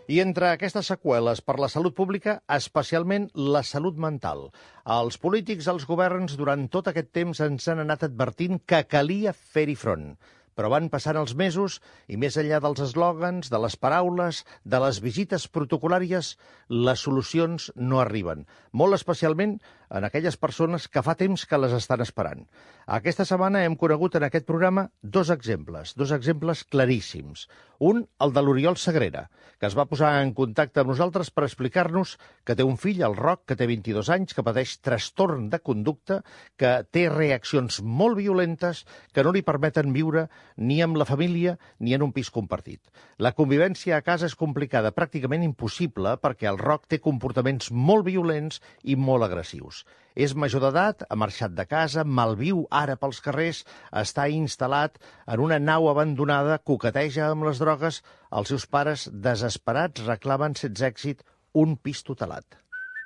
I entre aquestes seqüeles per la salut pública, especialment la salut mental. Els polítics, els governs, durant tot aquest temps ens han anat advertint que calia fer-hi front. Però van passant els mesos i més enllà dels eslògans, de les paraules, de les visites protocolàries, les solucions no arriben. Molt especialment en aquelles persones que fa temps que les estan esperant. Aquesta setmana hem conegut en aquest programa dos exemples claríssims. Un, el de l'Oriol Sagrera, que es va posar en contacte amb nosaltres per explicar-nos que té un fill, el Roc, que té 22 anys, que pateix trastorn de conducta, que té reaccions molt violentes que no li permeten viure ni amb la família ni en un pis compartit. La convivència a casa és complicada, pràcticament impossible, perquè el Roc té comportaments molt violents i molt agressius. És major d'edat, ha marxat de casa, malviu ara pels carrers, està instal·lat en una nau abandonada, coqueteja amb les drogues. Els seus pares, desesperats, reclamen, sense èxit, un pis tutelat.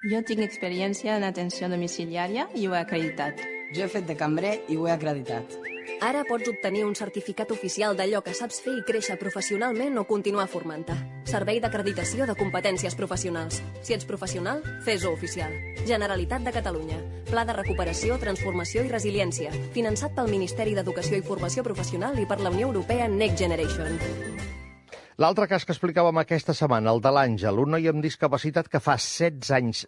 Jo tinc experiència en atenció domiciliària i ho he acreditat. Jo he fet de cambrer i ho he acreditat. Ara pots obtenir un certificat oficial d'allò que saps fer i créixer professionalment o continuar formant-te. Servei d'acreditació de competències professionals. Si ets professional, fes-ho oficial. Generalitat de Catalunya. Pla de recuperació, transformació i resiliència. Finançat pel Ministeri d'Educació i Formació Professional i per la Unió Europea Next Generation. L'altre cas que explicàvem aquesta setmana, el de l'Àngel, un noi amb discapacitat que fa 16 anys,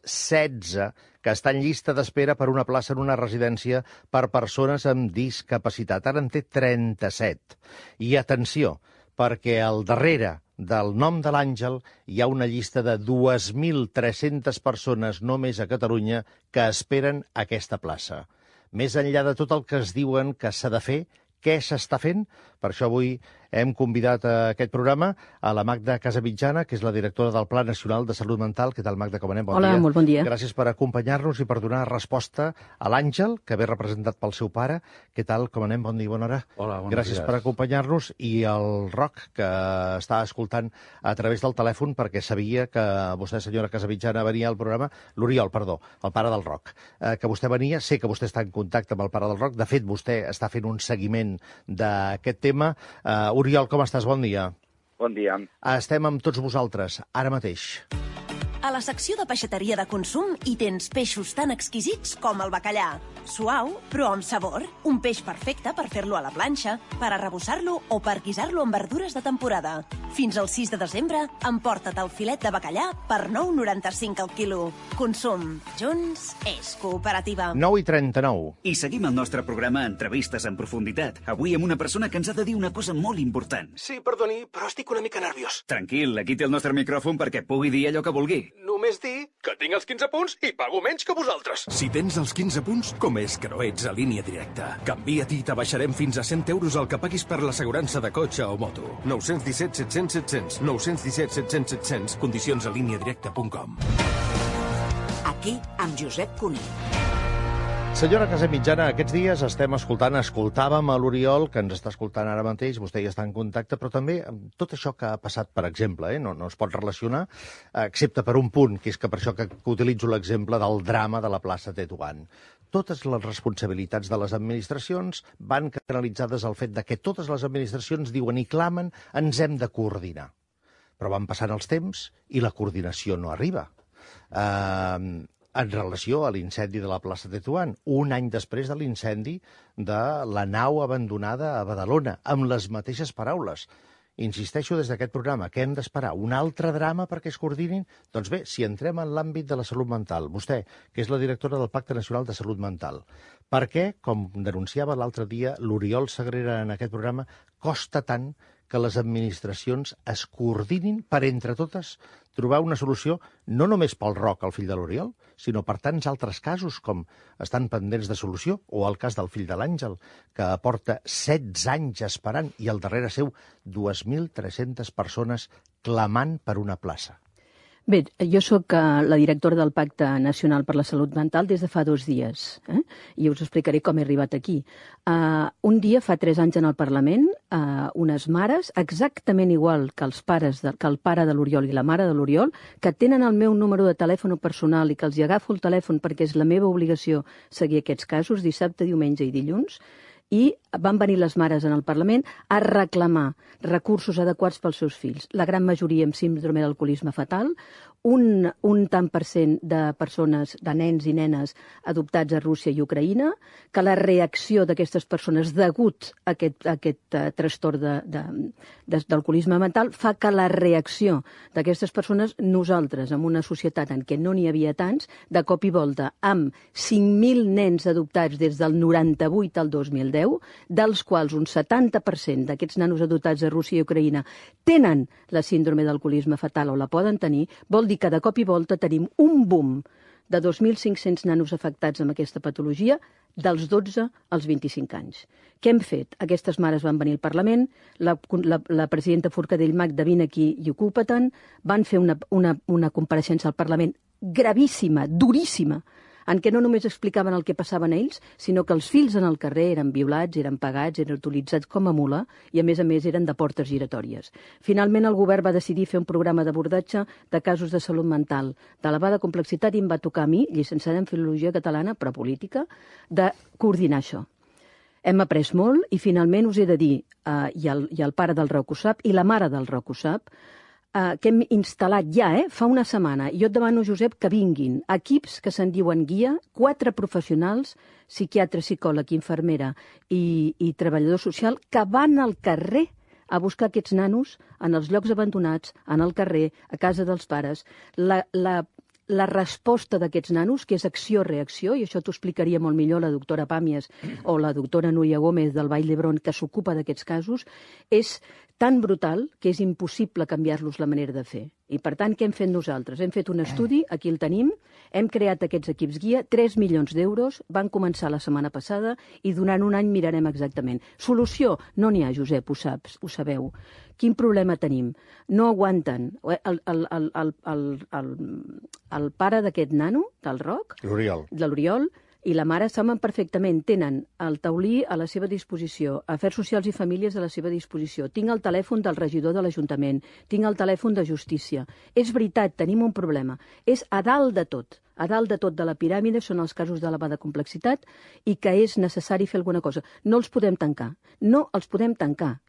que està en llista d'espera per una plaça en una residència per persones amb discapacitat. Ara en té 37. I atenció, perquè al darrere del nom de l'Àngel hi ha una llista de 2.300 persones només a Catalunya que esperen aquesta plaça. Més enllà de tot el que es diuen que s'ha de fer, què s'està fent? Per això avui hem convidat a aquest programa a la Magda Casamitjana, que és la directora del Pla Nacional de Salut Mental. Què tal, Magda? Com anem? Bon dia. Hola, molt bon dia. Gràcies per acompanyar-nos i per donar resposta a l'Àngel, que ve representat pel seu pare. Què tal? Com anem? Bon dia, bona hora. Hola, bon Gràcies per acompanyar-nos. I el Roc, que està escoltant a través del telèfon, perquè sabia que vostè, senyora Casamitjana, venia al programa. L'Oriol, perdó, el pare del Roc. Que vostè venia, sé que vostè està en contacte amb el pare del Roc. De fet, vostè està fent un seguiment d'aquest tema. Oriol, com estàs? Bon dia. Bon dia. Estem amb tots vosaltres, ara mateix. A la secció de peixateria de consum hi tens peixos tan exquisits com el bacallà. Suau, però amb sabor. Un peix perfecte per fer-lo a la planxa, per arrebossar-lo o per guisar-lo amb verdures de temporada. Fins al 6 de desembre, emporta't el filet de bacallà per 9,95 al quilo. Consum. Junts és cooperativa. 9:39. I seguim el nostre programa Entrevistes en profunditat. Avui amb una persona que ens ha de dir una cosa molt important. Sí, perdoni, però estic una mica nerviós. Tranquil, aquí té el nostre micròfon perquè pugui dir allò que vulgui. Només dir que tinc els 15 punts i pago menys que vosaltres. Si tens els 15 punts, com és que no ets a Línia Directa? Canvia-t'hi i t'abaixarem fins a 100 euros el que paguis per l'assegurança de cotxe o moto. 917 700 700. 917 700 700. Condicions a líniadirecta.com. Aquí, amb Josep Cuní. Senyora Casamitjana, aquests dies escoltàvem a l'Oriol, que ens està escoltant ara mateix, vostè ja està en contacte, però també amb tot això que ha passat, per exemple, no es pot relacionar, excepte per un punt, que és que per això que utilitzo l'exemple del drama de la plaça Tetuan. Totes les responsabilitats de les administracions van canalitzades al fet de que totes les administracions diuen i clamen ens hem de coordinar. Però van passant els temps i la coordinació no arriba. En relació a l'incendi de la plaça Tetuan, un any després de l'incendi de la nau abandonada a Badalona, amb les mateixes paraules. Insisteixo des d'aquest programa, que hem d'esperar un altre drama perquè es coordinin? Doncs bé, si entrem en l'àmbit de la salut mental, vostè, que és la directora del Pacte Nacional de Salut Mental, per què, com denunciava l'altre dia l'Oriol Sagrera en aquest programa, costa tant que les administracions es coordinin per, entre totes, trobar una solució no només pel Roc, el fill de l'Oriol, sinó per tants altres casos com estan pendents de solució, o el cas del fill de l'Àngel, que porta 16 anys esperant i al darrere seu 2.300 persones clamant per una plaça. Bé, jo sóc la directora del Pacte Nacional per la Salut Mental des de fa 2 dies, i us explicaré com he arribat aquí. Un dia, fa 3 anys en el Parlament, unes mares, exactament igual que el pare de l'Oriol i la mare de l'Oriol, que tenen el meu número de telèfon personal i que els hi agafo el telèfon perquè és la meva obligació seguir aquests casos, dissabte, diumenge i dilluns, i van venir les mares en el Parlament a reclamar recursos adequats pels seus fills. La gran majoria amb síndrome d'alcoholisme fatal, un tant per cent de persones, de nens i nenes adoptats a Rússia i Ucraïna, que la reacció d'aquestes persones degut a aquest trastorn d'alcoholisme mental fa que la reacció d'aquestes persones, nosaltres, en una societat en què no n'hi havia tants, de cop i volta, amb 5.000 nens adoptats des del 98 al 2010, dels quals un 70% d'aquests nanos adoptats a Rússia i Ucraïna tenen la síndrome d'alcoholisme fatal o la poden tenir, vol dir que de cop i volta tenim un boom de 2.500 nanos afectats amb aquesta patologia dels 12 als 25 anys. Què hem fet? Aquestes mares van venir al Parlament, la presidenta Forcadell Magda, vine aquí i ocupa-te'n, van fer una compareixença al Parlament gravíssima, duríssima, en què no només explicaven el que passaven a ells, sinó que els fills en el carrer eren violats, eren pagats, eren utilitzats com a mula i, a més, eren de portes giratòries. Finalment, el govern va decidir fer un programa d'abordatge de casos de salut mental d'elevada complexitat i em va tocar a mi, llicenciada en Filologia Catalana, però política, de coordinar això. Hem après molt i, finalment, us he de dir, i el pare del Roc ho sap, i la mare del Roc ho sap, que hem instal·lat ja, fa una setmana. Jo et demano, Josep, que vinguin equips que se'n diuen guia, 4 professionals, psiquiatre, psicòleg, infermera i treballador social, que van al carrer a buscar aquests nanos en els llocs abandonats, en el carrer, a casa dels pares. La resposta d'aquests nanos, que és acció-reacció, i això t'ho explicaria molt millor la doctora Pàmies o la doctora Núria Gómez del Vall d'Hebron, que s'ocupa d'aquests casos, és tan brutal que és impossible canviar-los la manera de fer. I, per tant, què hem fet nosaltres? Hem fet un estudi, aquí el tenim, hem creat aquests equips guia, 3 milions d'euros, van començar la setmana passada i durant un any mirarem exactament. Solució? No n'hi ha, Josep, ho saps, ho sabeu. Quin problema tenim? No aguanten. El pare d'aquest nano, del Roc, de l'Oriol, i la mare saben perfectament, tenen el taulí a la seva disposició, Afers Socials i Famílies a la seva disposició, tinc el telèfon del regidor de l'Ajuntament, tinc el telèfon de Justícia. És veritat, tenim un problema. És a dalt de tot de la piràmide són els casos d'elevada complexitat i que és necessari fer alguna cosa. No els podem tancar,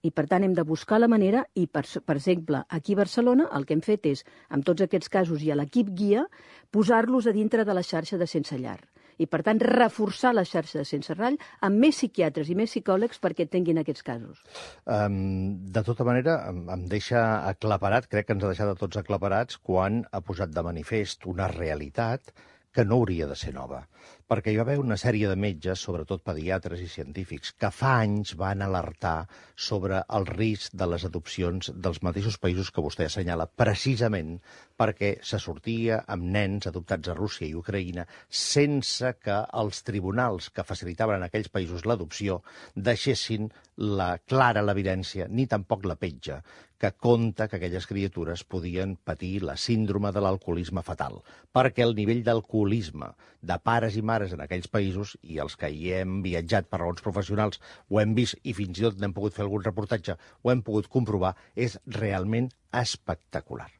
i per tant hem de buscar la manera i, per exemple, aquí a Barcelona el que hem fet és, amb tots aquests casos i a l'equip guia, posar-los a dintre de la xarxa de Sense Llar. I, per tant, reforçar la xarxa de Sense Rall amb més psiquiatres i més psicòlegs perquè tinguin aquests casos. De tota manera, em deixa aclaparat, crec que ens ha deixat a tots aclaparats, quan ha posat de manifest una realitat que no hauria de ser nova. Perquè hi va haver una sèrie de metges, sobretot pediatres i científics, que fa anys van alertar sobre el risc de les adopcions dels mateixos països que vostè assenyala, precisament perquè se sortia amb nens adoptats a Rússia i Ucraïna sense que els tribunals que facilitaven en aquells països l'adopció deixessin clara l'evidència, ni tampoc la petja, que conta que aquelles criatures podien patir la síndrome de l'alcoholisme fatal, perquè el nivell d'alcoholisme de pares i mares en aquells països, i els que hi hem viatjat per raons professionals ho hem vist i fins i tot n'hem pogut fer algun reportatge, ho hem pogut comprovar, és realment espectacular.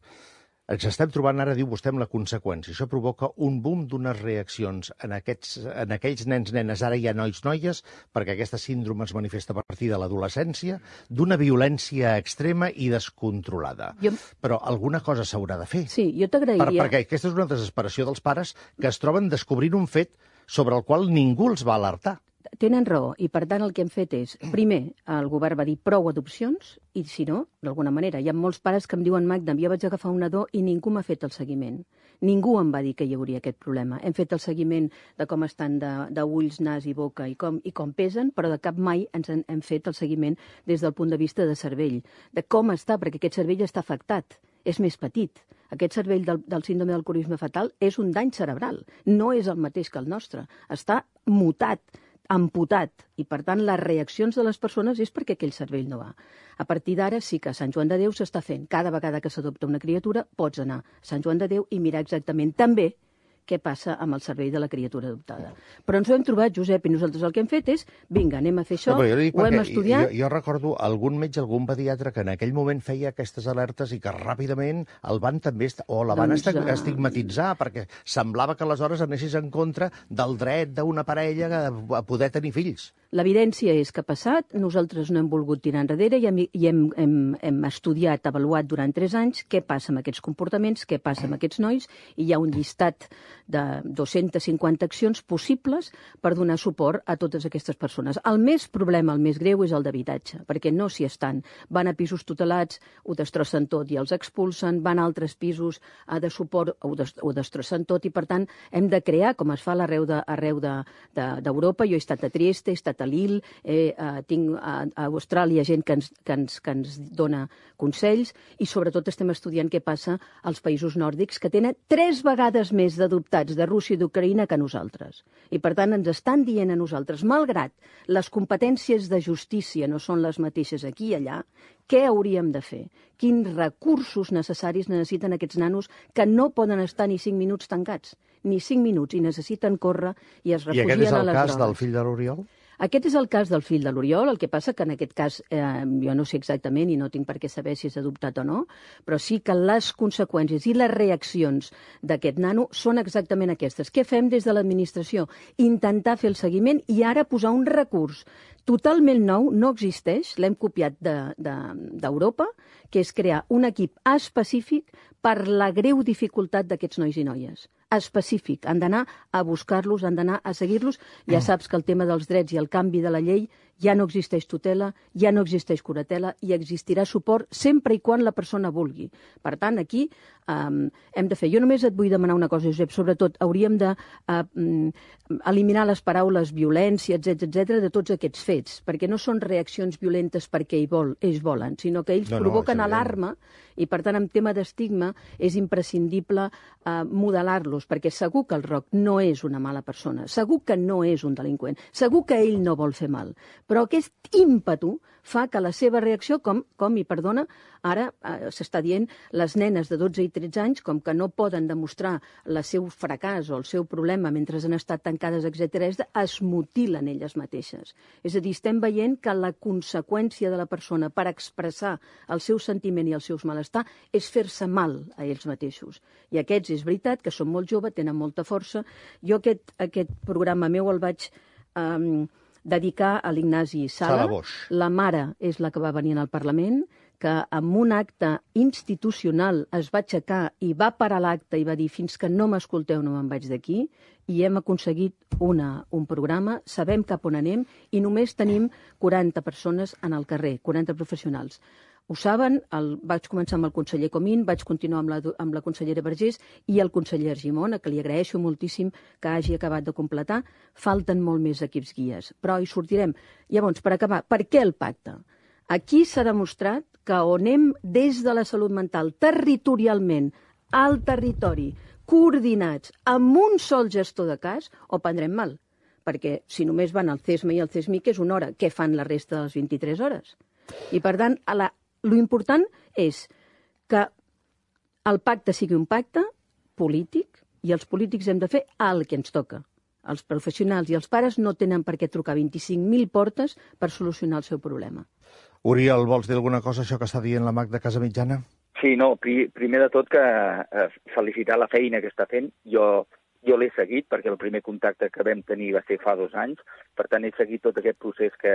Ens estem trobant ara, diu vostè, amb la conseqüència. Això provoca un boom d'unes reaccions en aquells nens, nenes, ara hi ha nois, noies, perquè aquesta síndrome es manifesta a partir de l'adolescència, d'una violència extrema i descontrolada. Però alguna cosa s'haurà de fer. Sí, jo t'agrairia. Perquè aquesta és una desesperació dels pares que es troben descobrint un fet sobre el qual ningú els va alertar. Tenen raó, i per tant el que hem fet és, primer, el govern va dir prou adopcions, i si no, d'alguna manera, hi ha molts pares que em diuen, Magda, jo vaig agafar un nadó i ningú m'ha fet el seguiment. Ningú em va dir que hi hauria aquest problema. Hem fet el seguiment de com estan d'ulls, nas i boca i com pesen, però de cap mai hem fet el seguiment des del punt de vista de cervell, de com està, perquè aquest cervell està afectat, és més petit. Aquest cervell del síndrome d'alcoholisme fatal és un dany cerebral, no és el mateix que el nostre, està mutat, amputat, i per tant les reaccions de les persones és perquè aquell cervell no va. A partir d'ara sí que a Sant Joan de Déu s'està fent. Cada vegada que s'adopta una criatura pots anar a Sant Joan de Déu i mirar exactament també què passa amb el cervell de la criatura adoptada. Però ens ho hem trobat, Josep, i nosaltres el que hem fet és, vinga, anem a fer això, ho hem estudiat. Jo recordo algun metge, algun pediatre que en aquell moment feia aquestes alertes i que ràpidament el van també, o la van estigmatitzar, perquè semblava que aleshores anessis en contra del dret d'una parella a poder tenir fills. L'evidència és que ha passat, nosaltres no hem volgut tirar enrere i hem estudiat, avaluat durant 3 anys què passa amb aquests comportaments, què passa amb aquests nois, i hi ha un llistat de 250 accions possibles per donar suport a totes aquestes persones. El més problema, el més greu, és el d'habitatge, perquè no s'hi estan. Van a pisos tutelats, ho destrossen tot i els expulsen, van a altres pisos de suport, ho destrossen tot, i per tant hem de crear, com es fa arreu d'Europa. Jo he estat a Trieste, he estat a Lille, tinc a Austràlia gent que ens dona consells, i sobretot estem estudiant què passa als països nòrdics, que tenen 3 vegades més d'adoptats de Rússia i d'Ucraïna que nosaltres. I per tant ens estan dient a nosaltres, malgrat les competències de justícia no són les mateixes aquí i allà, què hauríem de fer? Quins recursos necessaris necessiten aquests nanos que no poden estar ni 5 minuts tancats? Ni 5 minuts, i necessiten córrer i es refugien a les drogues. I aquest és el cas del fill de l'Oriol? Aquest és el cas del fill de l'Oriol, el que passa que en aquest cas jo no sé exactament i no tinc per què saber si és adoptat o no, però sí que les conseqüències i les reaccions d'aquest nano són exactament aquestes. Què fem des de l'administració? Intentar fer el seguiment i ara posar un recurs totalment nou, no existeix, l'hem copiat d'Europa, que és crear un equip específic per la greu dificultat d'aquests nois i noies. Específic. Han d'anar a buscar-los, han d'anar a seguir-los. Ja saps que el tema dels drets i el canvi de la llei ja no existeix tutela, ja no existeix curatela i existirà suport sempre i quan la persona vulgui. Per tant, aquí hem de fer. Jo només et vull demanar una cosa, Josep, sobretot hauríem d'eliminar les paraules violència, etc de tots aquests fets, perquè no són reaccions violentes perquè ells volen, sinó que ells provoquen alarma i, per tant, en tema d'estigma és imprescindible modelar-los, perquè segur que el Roc no és una mala persona, segur que no és un delinqüent, segur que ell no vol fer mal, però aquest ímpetu fa que la seva reacció, i perdona, ara s'està dient, les nenes de 12 i 13 anys, com que no poden demostrar el seu fracàs o el seu problema mentre han estat tancades, etc., es mutilen elles mateixes. És a dir, estem veient que la conseqüència de la persona per expressar el seu sentiment i el seu malestar és fer-se mal a ells mateixos. I aquests, és veritat, que són molt joves, tenen molta força. Jo aquest programa meu el vaig dedicar a l'Ignasi Sala. La mare és la que va venir al Parlament, que amb un acte institucional es va aixecar i va parar l'acte i va dir fins que no m'escolteu no me'n vaig d'aquí, i hem aconseguit un programa, sabem cap on anem i només tenim 40 persones en el carrer, 40 professionals. Ho saben, vaig començar amb el conseller Comín, vaig continuar amb la consellera Vergés i el conseller Argimon, a qui li agraeixo moltíssim que hagi acabat de completar. Falten molt més equips guies, però hi sortirem. Llavors, per acabar, per què el pacte? Aquí s'ha demostrat que on anem des de la salut mental, territorialment, al territori, coordinats, amb un sol gestor de cas, ho prendrem mal. Perquè si només van al CESMA i al CESMIC és una hora, què fan la resta de les 23 hores? I per tant, lo important és que el pacte sigui un pacte polític i els polítics hem de fer el que ens toca. Els professionals i els pares no tenen per què trucar 25.000 portes per solucionar el seu problema. Oriol, vols dir alguna cosa això que està dient la Magda Casamitjana? Sí, no, primer de tot que felicitar la feina que està fent. Jo l'he seguit perquè el primer contacte que vam tenir va ser fa 2 anys, per tant he seguit tot aquest procés que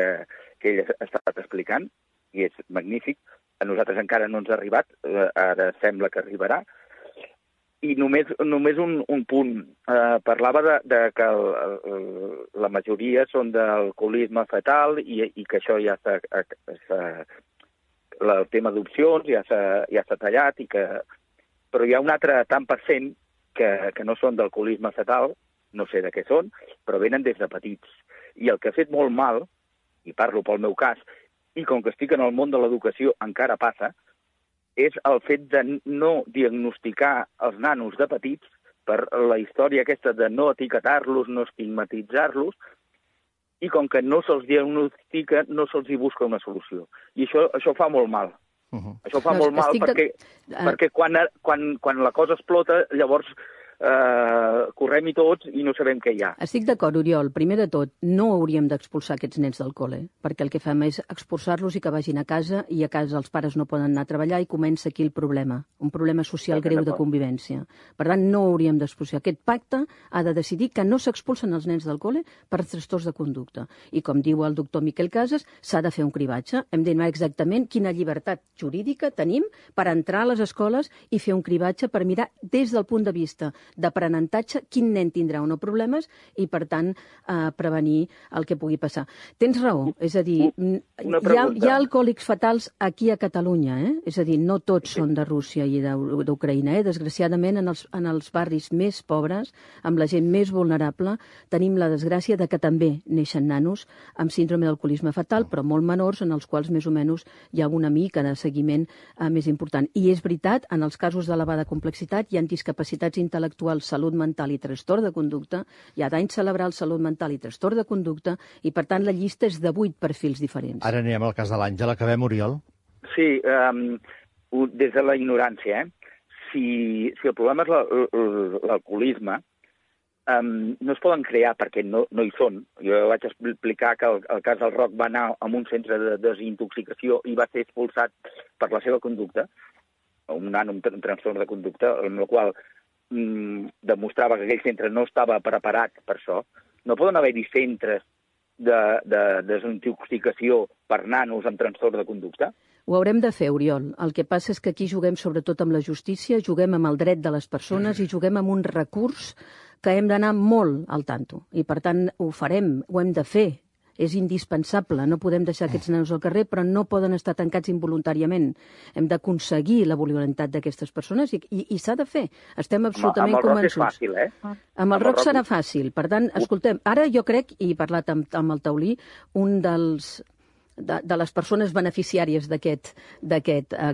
ell ha estat explicant i és magnífic. A nosaltres encara no ens ha arribat, ara sembla que arribarà. I només un punt. Parlava de que la majoria són d'alcoholisme fetal i que això ja el tema d'opcions ja s'ha tallat, però hi ha un altre tant per cent que no són d'alcoholisme fetal, no sé de què són, però venen des de petits. I el que ha fet molt mal, i parlo pel meu cas, i com que estic en el món de l'educació encara passa, és el fet de no diagnosticar els nanos de petits per la història aquesta de no etiquetar-los, no estigmatitzar-los, i com que no se'ls diagnostica, no se'ls hi busca una solució. I això fa molt mal. Això fa molt mal perquè quan la cosa explota, llavors correm-hi tots i no sabem què hi ha. Estic d'acord, Oriol. Primer de tot, no hauríem d'expulsar aquests nens del col·le, perquè el que fem és expulsar-los i que vagin a casa, i a casa els pares no poden anar a treballar i comença aquí el problema, un problema social greu de convivència. Per tant, no hauríem d'expulsar. Aquest pacte ha de decidir que no s'expulsen els nens del col·le per trastorns de conducta. I com diu el doctor Miquel Casas, s'ha de fer un cribatge. Hem de dir exactament quina llibertat jurídica tenim per entrar a les escoles i fer un cribatge per mirar des del punt de vista d'aprenentatge quin nen tindrà o no problemes i, per tant, prevenir el que pugui passar. Tens raó, és a dir, hi ha alcohòlics fatals aquí a Catalunya, és a dir, no tots són de Rússia i d'Ucraïna. Desgraciadament, en els barris més pobres, amb la gent més vulnerable, tenim la desgràcia de que també neixen nanos amb síndrome d'alcoholisme fatal, però molt menors, en els quals més o menys hi ha una mica de seguiment més important. I és veritat, en els casos d'elevada complexitat hi ha discapacitats intel·lectuals, salut mental i trastorn de conducta, hi ha dany cerebral, salut mental i trastorn de conducta, i per tant la llista és de 8 perfils diferents. Ara anem al cas de l'Àngel. Acabem, Oriol? Sí, des de la ignorància. Si el problema és l'alcoholisme, no es poden crear perquè no hi són. Jo vaig explicar que el cas del Roc va anar a un centre de desintoxicació i va ser expulsat per la seva conducta, un nano amb trastorn de conducta, amb el qual demostrava que aquell centre no estava preparat per això. No poden haver-hi centres de desintoxicació per nanos amb trastorn de conducta? Ho haurem de fer, Oriol. El que passa és que aquí juguem sobretot amb la justícia, juguem amb el dret de les persones i juguem amb un recurs que hem d'anar molt al tanto. I, per tant, ho farem, ho hem de fer. És indispensable, no podem deixar aquests nanos al carrer, però no poden estar tancats involuntàriament. Hem d'aconseguir la voluntat d'aquestes persones i s'ha de fer. Estem absolutament convençuts. Amb el Roc és fàcil, Amb el Roc serà fàcil. Per tant, escoltem, ara jo crec, i he parlat amb el Taulí, un de les persones beneficiàries d'aquest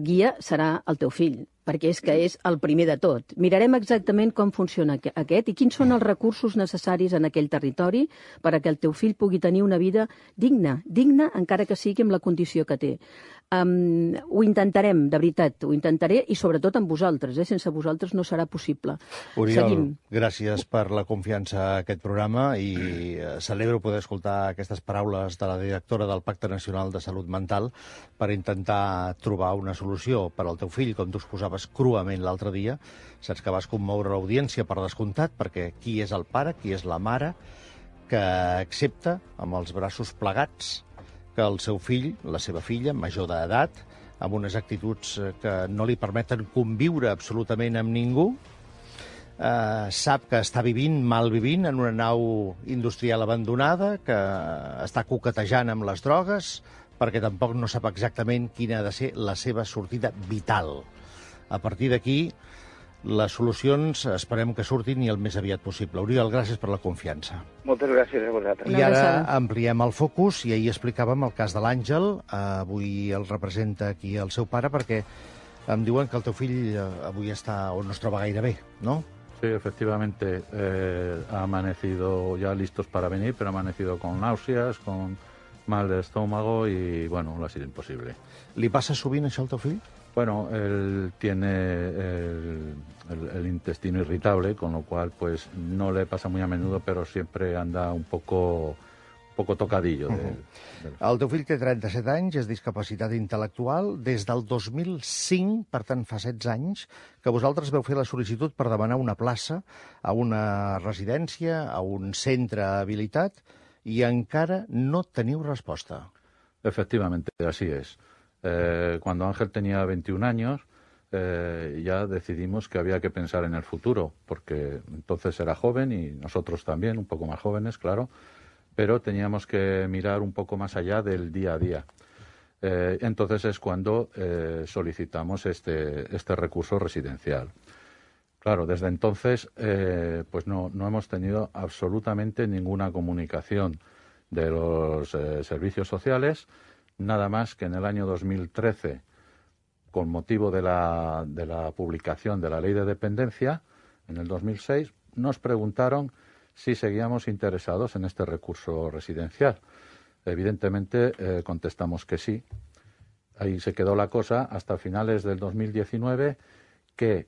guia serà el teu fill, perquè és que és el primer de tot. Mirarem exactament com funciona aquest i quins són els recursos necessaris en aquell territori perquè el teu fill pugui tenir una vida digna, encara que sigui amb la condició que té. Ho intentarem, de veritat, ho intentaré, i sobretot amb vosaltres. Sense vosaltres no serà possible. Oriol, gràcies per la confiança a aquest programa i celebro poder escoltar aquestes paraules de la directora del Pacte Nacional de Salut Mental per intentar trobar una solució per al teu fill, com tu exposaves cruament l'altre dia. Saps que vas commoure l'audiència per descomptat, perquè qui és el pare, qui és la mare, que accepta amb els braços plegats que el seu fill, la seva filla, major d'edat, amb unes actituds que no li permeten conviure absolutament amb ningú, sap que està malvivint en una nau industrial abandonada, que està coquetejant amb les drogues, perquè tampoc no sap exactament quina ha de ser la seva sortida vital. A partir d'aquí, les solucions esperem que surtin i el més aviat possible. Oriol, gràcies per la confiança. Moltes gràcies a vosaltres. I ara ampliem el focus, i ahir explicàvem el cas de l'Àngel. Avui el representa aquí el seu pare, perquè em diuen que el teu fill avui està o no es troba gaire bé, ¿no? Sí, efectivamente. Ha amanecido ya listos para venir, pero ha amanecido con náuseas, con mal de estómago y, bueno, ha sido imposible. Li passa sovint això al teu fill? Bueno, él tiene el intestino irritable, con lo cual pues no le pasa muy a menudo, pero siempre anda un poco tocadillo. El teu fill té 37 anys, és discapacitat intel·lectual. Des del 2005, per tant fa 16 anys, que vosaltres veu fer la sol·licitud per demanar una plaça a una residència, a un centre habilitat, i encara no teniu resposta. Efectivamente, así es. Cuando Ángel tenía 21 años, ya decidimos que había que pensar en el futuro, porque entonces era joven y nosotros también, un poco más jóvenes, claro, pero teníamos que mirar un poco más allá del día a día. Entonces es cuando solicitamos este recurso residencial. Claro, desde entonces pues no hemos tenido absolutamente ninguna comunicación de los servicios sociales, nada más que en el año 2013, con motivo de la publicación de la Ley de Dependencia, en el 2006, nos preguntaron si seguíamos interesados en este recurso residencial. Evidentemente contestamos que sí. Ahí se quedó la cosa hasta finales del 2019 que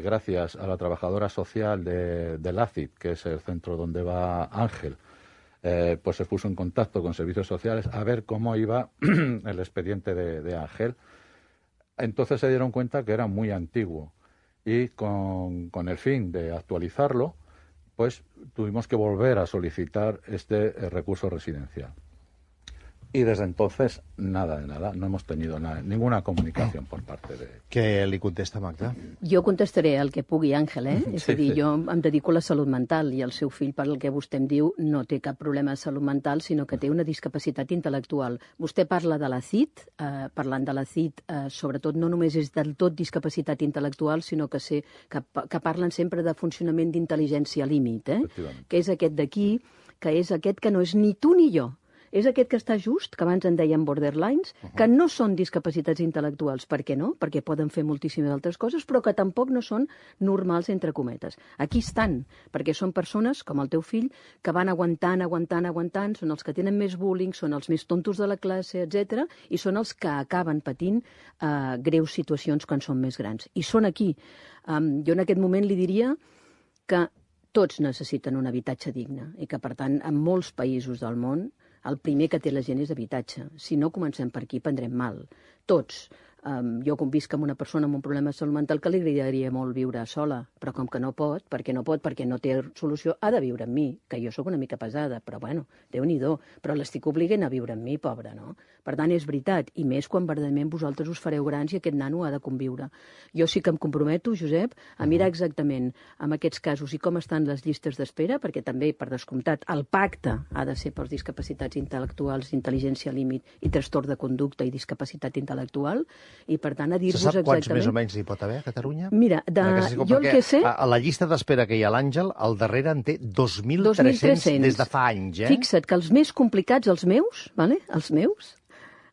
gracias a la trabajadora social del ACID, que es el centro donde va Ángel, pues se puso en contacto con servicios sociales a ver cómo iba el expediente de Ángel. Entonces se dieron cuenta que era muy antiguo y con el fin de actualizarlo, pues tuvimos que volver a solicitar este recurso residencial. Y desde entonces, nada de nada, no hemos tenido ninguna comunicación por parte de... Què li contesta Magda? Jo contestaré el que pugui, Àngel, És a dir, sí. jo em dedico a la salut mental i el seu fill, per el que vostè em diu, no té cap problema de salut mental, sinó que té una discapacitat intel·lectual. Vostè parla de la CID, parlant de la CID, sobretot no només és del tot discapacitat intel·lectual, sinó que parlen sempre de funcionament d'intel·ligència límit, que és aquest d'aquí, que és aquest que no és ni tu ni jo. És aquest que està just, que abans en dèiem borderlines, que no són discapacitats intel·lectuals. Per què no? Perquè poden fer moltíssimes altres coses, però que tampoc no són normals, entre cometes. Aquí estan, perquè són persones, com el teu fill, que van aguantant, són els que tenen més bullying, són els més tontos de la classe, etc. I són els que acaben patint greus situacions quan són més grans. I són aquí. Jo en aquest moment li diria que tots necessiten un habitatge digne i que, per tant, en molts països del món, el primer que té la gent és habitatge. Si no comencem per aquí, prendrem mal. Tots. Jo convisc amb una persona amb un problema de salut mental que li agradaria molt viure sola, però com que no pot, perquè no té solució, ha de viure amb mi, que jo sóc una mica pesada, però bueno, Déu-n'hi-do, però l'estic obligant a viure amb mi, pobra, no? Per tant, és veritat, i més quan verdaderament vosaltres us fareu grans i aquest nano ha de conviure. Jo sí que em comprometo, Josep, a mirar exactament amb aquests casos i com estan les llistes d'espera, perquè també, per descomptat, el pacte ha de ser pels discapacitats intel·lectuals, intel·ligència límit i trastorn de conducta i discapacitat intel·lectual, i per tant a dir-vos exactament... Se sap quants més o menys hi pot haver a Catalunya? Mira, jo el que sé... A la llista d'espera que hi ha l'Àngel, al darrere en té 2.300 des de fa anys, Fixa't que els més complicats, els meus,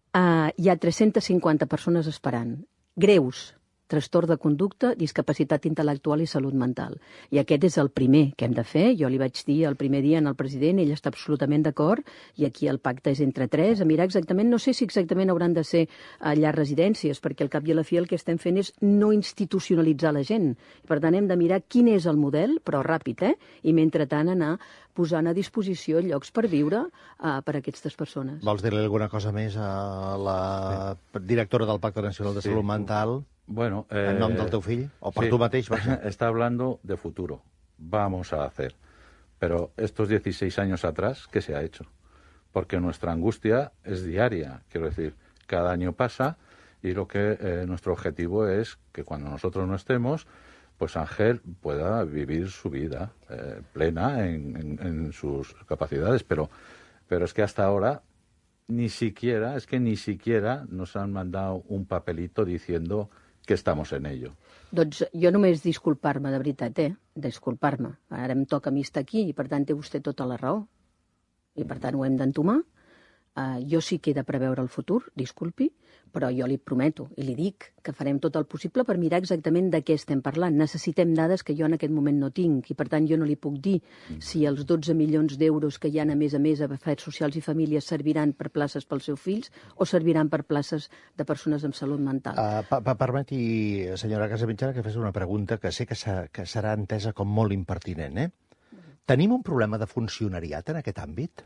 hi ha 350 persones esperant. Greus, trastorn de conducta, discapacitat intel·lectual i salut mental. I aquest és el primer que hem de fer. Jo li vaig dir el primer dia al president, ell està absolutament d'acord, i aquí el pacte és entre tres, a mirar exactament, no sé si exactament hauran de ser allà residències, perquè al cap i a la fi el que estem fent és no institucionalitzar la gent. Per tant, hem de mirar quin és el model, però ràpid, i mentrestant anar posant a disposició llocs per viure per a aquestes persones. Vols dir-li alguna cosa més a la directora del Pacte Nacional de Salut Mental? Bueno, en nom del teu fill? O per tu mateix? Está hablando de futuro. Vamos a hacer. Pero estos 16 años atrás, ¿qué se ha hecho? Porque nuestra angustia es diaria. Quiero decir, cada año pasa y nuestro objetivo es que cuando nosotros no estemos, pues Ángel pueda vivir su vida plena en sus capacidades. Pero es que hasta ahora ni siquiera nos han mandado un papelito diciendo que estamos en ello. Doncs jo només disculpar-me, de veritat, disculpar-me. Ara em toca a mi estar aquí i, per tant, té vostè tota la raó. I, per tant, ho hem d'entomar. Jo sí que he de preveure el futur, disculpi, però jo li prometo i li dic que farem tot el possible per mirar exactament de què estem parlant. Necessitem dades que jo en aquest moment no tinc i, per tant, jo no li puc dir si els 12 milions d'euros que hi ha a més a Afers Socials i Famílies serviran per places pels seus fills o serviran per places de persones amb salut mental. Permeti, senyora Casamitjana, que fes una pregunta que sé que serà entesa com molt impertinent. Tenim un problema de funcionariat en aquest àmbit?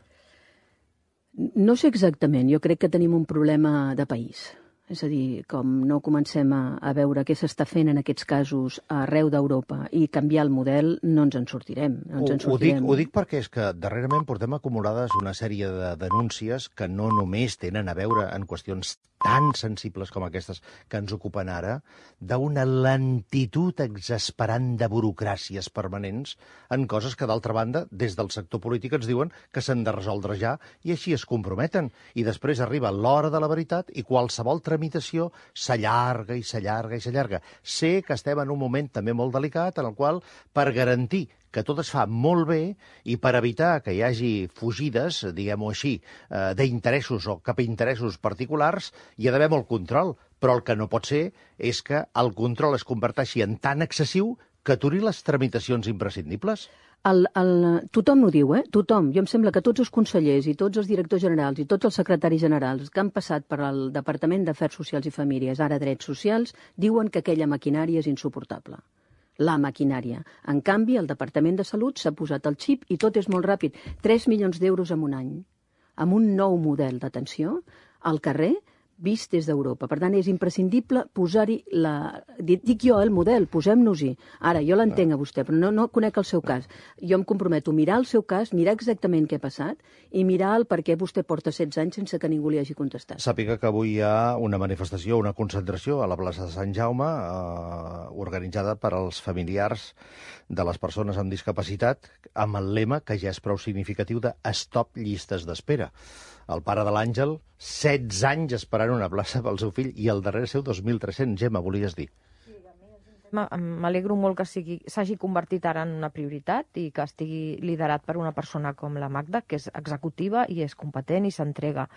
No sé exactament, jo crec que tenim un problema de país. És a dir, com no comencem a veure què s'està fent en aquests casos arreu d'Europa i canviar el model, no ens en sortirem. Ho dic perquè és que darrerament portem acumulades una sèrie de denúncies que no només tenen a veure en qüestions tan sensibles com aquestes que ens ocupen ara, d'una lentitud exasperant de burocràcies permanents en coses que, d'altra banda, des del sector polític ens diuen que s'han de resoldre ja i així es comprometen. I després arriba l'hora de la veritat i qualsevol tramitació s'allarga i s'allarga i s'allarga. Sé que estem en un moment també molt delicat en el qual, per garantir que tot es fa molt bé i per evitar que hi hagi fugides, diguem-ho així, d'interessos o cap a interessos particulars, hi ha d'haver molt control. Però el que no pot ser és que el control es converteixi en tan excessiu que aturi les tramitacions imprescindibles. Tothom ho diu, tothom. Jo em sembla que tots els consellers i tots els directors generals i tots els secretaris generals que han passat per al Departament d'Afers Socials i Famílies, ara Drets Socials, diuen que aquella maquinària és insuportable. La maquinària. En canvi, el Departament de Salut s'ha posat el xip i tot és molt ràpid. 3 milions d'euros en un any, amb un nou model d'atenció al carrer, vist des d'Europa. Per tant, és imprescindible posar-hi dic jo, el model, posem-nos-hi. Ara, jo l'entenc a vostè, però no conec el seu cas. Jo em comprometo a mirar el seu cas, mirar exactament què ha passat i mirar el per què vostè porta 16 anys sense que ningú li hagi contestat. Sàpiga que avui hi ha una manifestació, una concentració a la plaça de Sant Jaume, organitzada per als familiars de les persones amb discapacitat, amb el lema, que ja és prou significatiu, de Stop llistes d'espera. El pare de l'Àngel, 16 anys esperant una plaça pel seu fill i el darrere seu 2.300. Gemma, volies dir? M'alegro molt que s'hagi convertit ara en una prioritat i que estigui liderat per una persona com la Magda, que és executiva i és competent i s'entrega.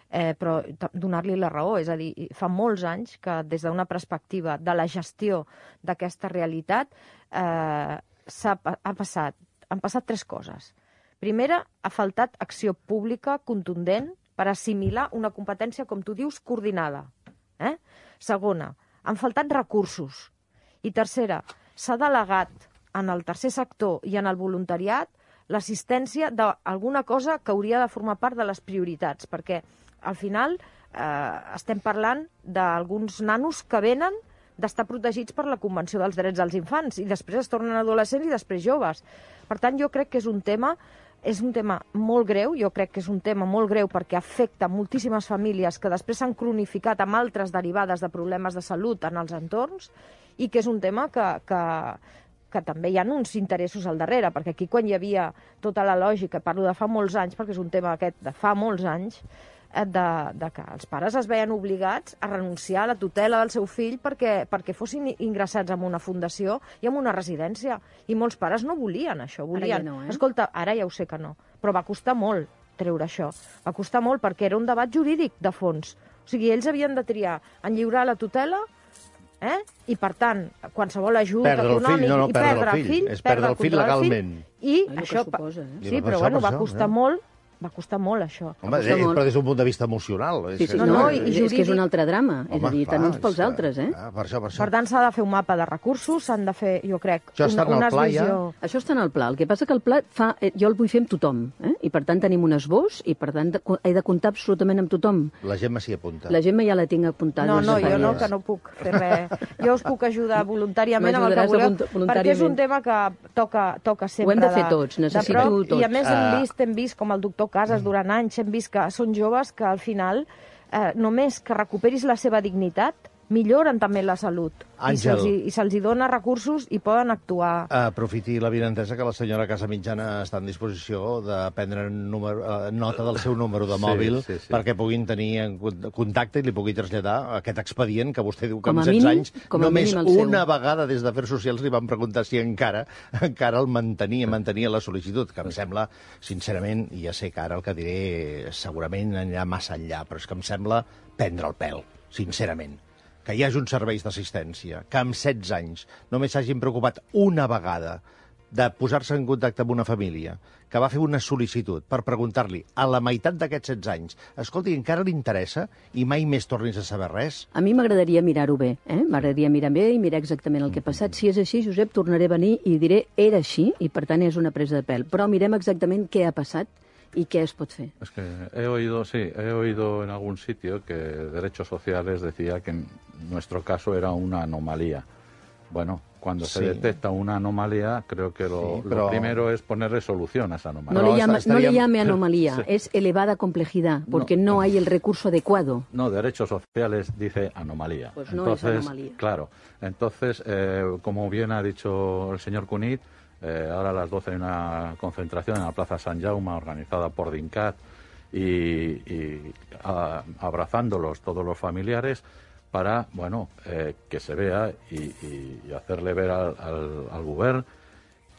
Però donar-li la raó, és a dir, fa molts anys que des d'una perspectiva de la gestió d'aquesta realitat han passat 3 coses. Primera, ha faltat acció pública contundent per assimilar una competència, com tu dius, coordinada. Segona, han faltat recursos. I tercera, s'ha delegat en el tercer sector i en el voluntariat l'assistència d'alguna cosa que hauria de formar part de les prioritats, perquè al final estem parlant d'alguns nanos que venen d'estar protegits per la Convenció dels Drets dels Infants i després es tornen adolescents i després joves. Per tant, jo crec que és un tema molt greu, jo crec que és un tema molt greu perquè afecta moltíssimes famílies que després s'han cronificat amb altres derivades de problemes de salut en els entorns i que és un tema que també hi ha uns interessos al darrere, perquè aquí quan hi havia tota la lògica, parlo de fa molts anys, perquè és un tema aquest de fa molts anys, de que els pares es veien obligats a renunciar a la tutela del seu fill perquè fossin ingressats en una fundació i en una residència. I molts pares no volien això. Volien... Ara ja no, Escolta, ara ja ho sé que no, però va costar molt treure això. Va costar molt perquè era un debat jurídic de fons. O sigui, ells havien de triar en lliurar la tutela i, per tant, qualsevol ajuda econòmic i perdre el fill, és perdre el fill legalment. I això... Sí, però bueno, va costar molt. Va costar molt, això. Home, però des d'un punt de vista emocional. És que és un altre drama. És a dir, tant uns pels altres, Per això. Per tant, s'ha de fer un mapa de recursos, s'han de fer, jo crec, una visió... Això està en el pla. El que passa que el pla jo el vull fer amb tothom, i per tant tenim un esbós, i per tant he de comptar absolutament amb tothom. La Gemma s'hi apunta. La Gemma ja la tinc apuntada. No, jo no, que no puc fer res. Jo us puc ajudar voluntàriament amb el que voleu, perquè és un tema que toca sempre. Ho hem de fer tots, necessito tots. I a més hem vist com el doctor Casas durant anys hem vist que són joves que al final només que recuperis la seva dignitat milloren també la salut. Àngel. I se'ls dona recursos i poden actuar. Aprofiti l'avinentesa que la senyora Casamitjana està en disposició de prendre nota del seu número de mòbil perquè puguin tenir contacte i li pugui traslladar aquest expedient que vostè diu que amb 16 anys només una vegada des d'Afers Socials li van preguntar si encara el mantenia la sol·licitud, que em sembla, sincerament, i ja sé que ara el que diré segurament anirà massa enllà, però és que em sembla prendre el pèl, sincerament. Que hi hagi uns serveis d'assistència, que amb 16 anys només s'hagin preocupat una vegada de posar-se en contacte amb una família que va fer una sol·licitud per preguntar-li a la meitat d'aquests 16 anys, escolti, encara li interessa i mai més tornis a saber res? A mi m'agradaria mirar-ho bé, m'agradaria mirar bé i mirar exactament el que ha passat. Si és així, Josep, tornaré a venir i diré era així i, per tant, és una presa de pèl. Però mirem exactament què ha passat ¿y qué es pot fer? Es que he oído en algún sitio que Derechos Sociales decía que en nuestro caso era una anomalía. Bueno, cuando se detecta una anomalía, creo que lo primero es ponerle solución a esa anomalía. No le llame anomalía, es elevada complejidad, porque no hay el recurso adecuado. No, Derechos Sociales dice anomalía. Pues no es anomalía. Claro, entonces, como bien ha dicho el señor Cunit, ahora a las 12 hay una concentración en la Plaza Sant Jaume organizada por DINCAT y abrazándolos todos los familiares para, bueno, que se vea y hacerle ver al Govern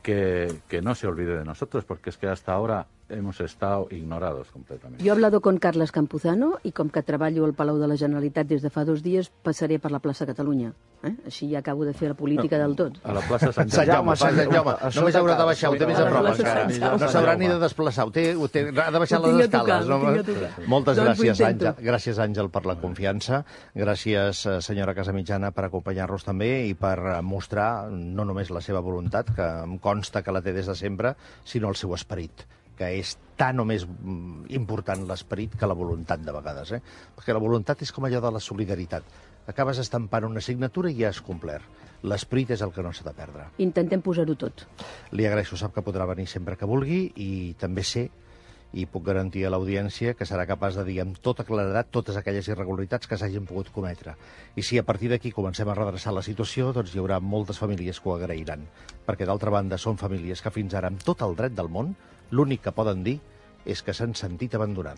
que no se olvide de nosotros, porque es que hasta ahora hemos estado ignorados completamente. Jo he hablado con Carles Campuzano i com que treballo al Palau de la Generalitat des de fa 2 dies, passaré per la plaça Catalunya. Així ja acabo de fer la política del tot. A la plaça Sant Jaume, Jaume. Sant Jaume. Només haurà de baixar, ho té més a prop encara. No s'haurà ni de desplaçar, ha de baixar les escales. Moltes gràcies, Àngel. Gràcies, Àngel, per la confiança. Gràcies, senyora Casamitjana, per acompanyar-nos també i per mostrar no només la seva voluntat, que em consta que la té des de sempre, sinó el seu esperit, que és tan o més important l'esperit que la voluntat de vegades. Perquè la voluntat és com allò de la solidaritat. Acabes estampant una signatura i ja has complert. L'esperit és el que no s'ha de perdre. Intentem posar-ho tot. Li agraeixo, sap que podrà venir sempre que vulgui i també sé, i puc garantir a l'audiència, que serà capaç de dir amb tota claredat totes aquelles irregularitats que s'hagin pogut cometre. I si a partir d'aquí comencem a redreçar la situació, doncs hi haurà moltes famílies que ho agrairan. Perquè, d'altra banda, són famílies que fins ara, amb tot el dret del món, l'únic que poden dir és que s'han sentit abandonades.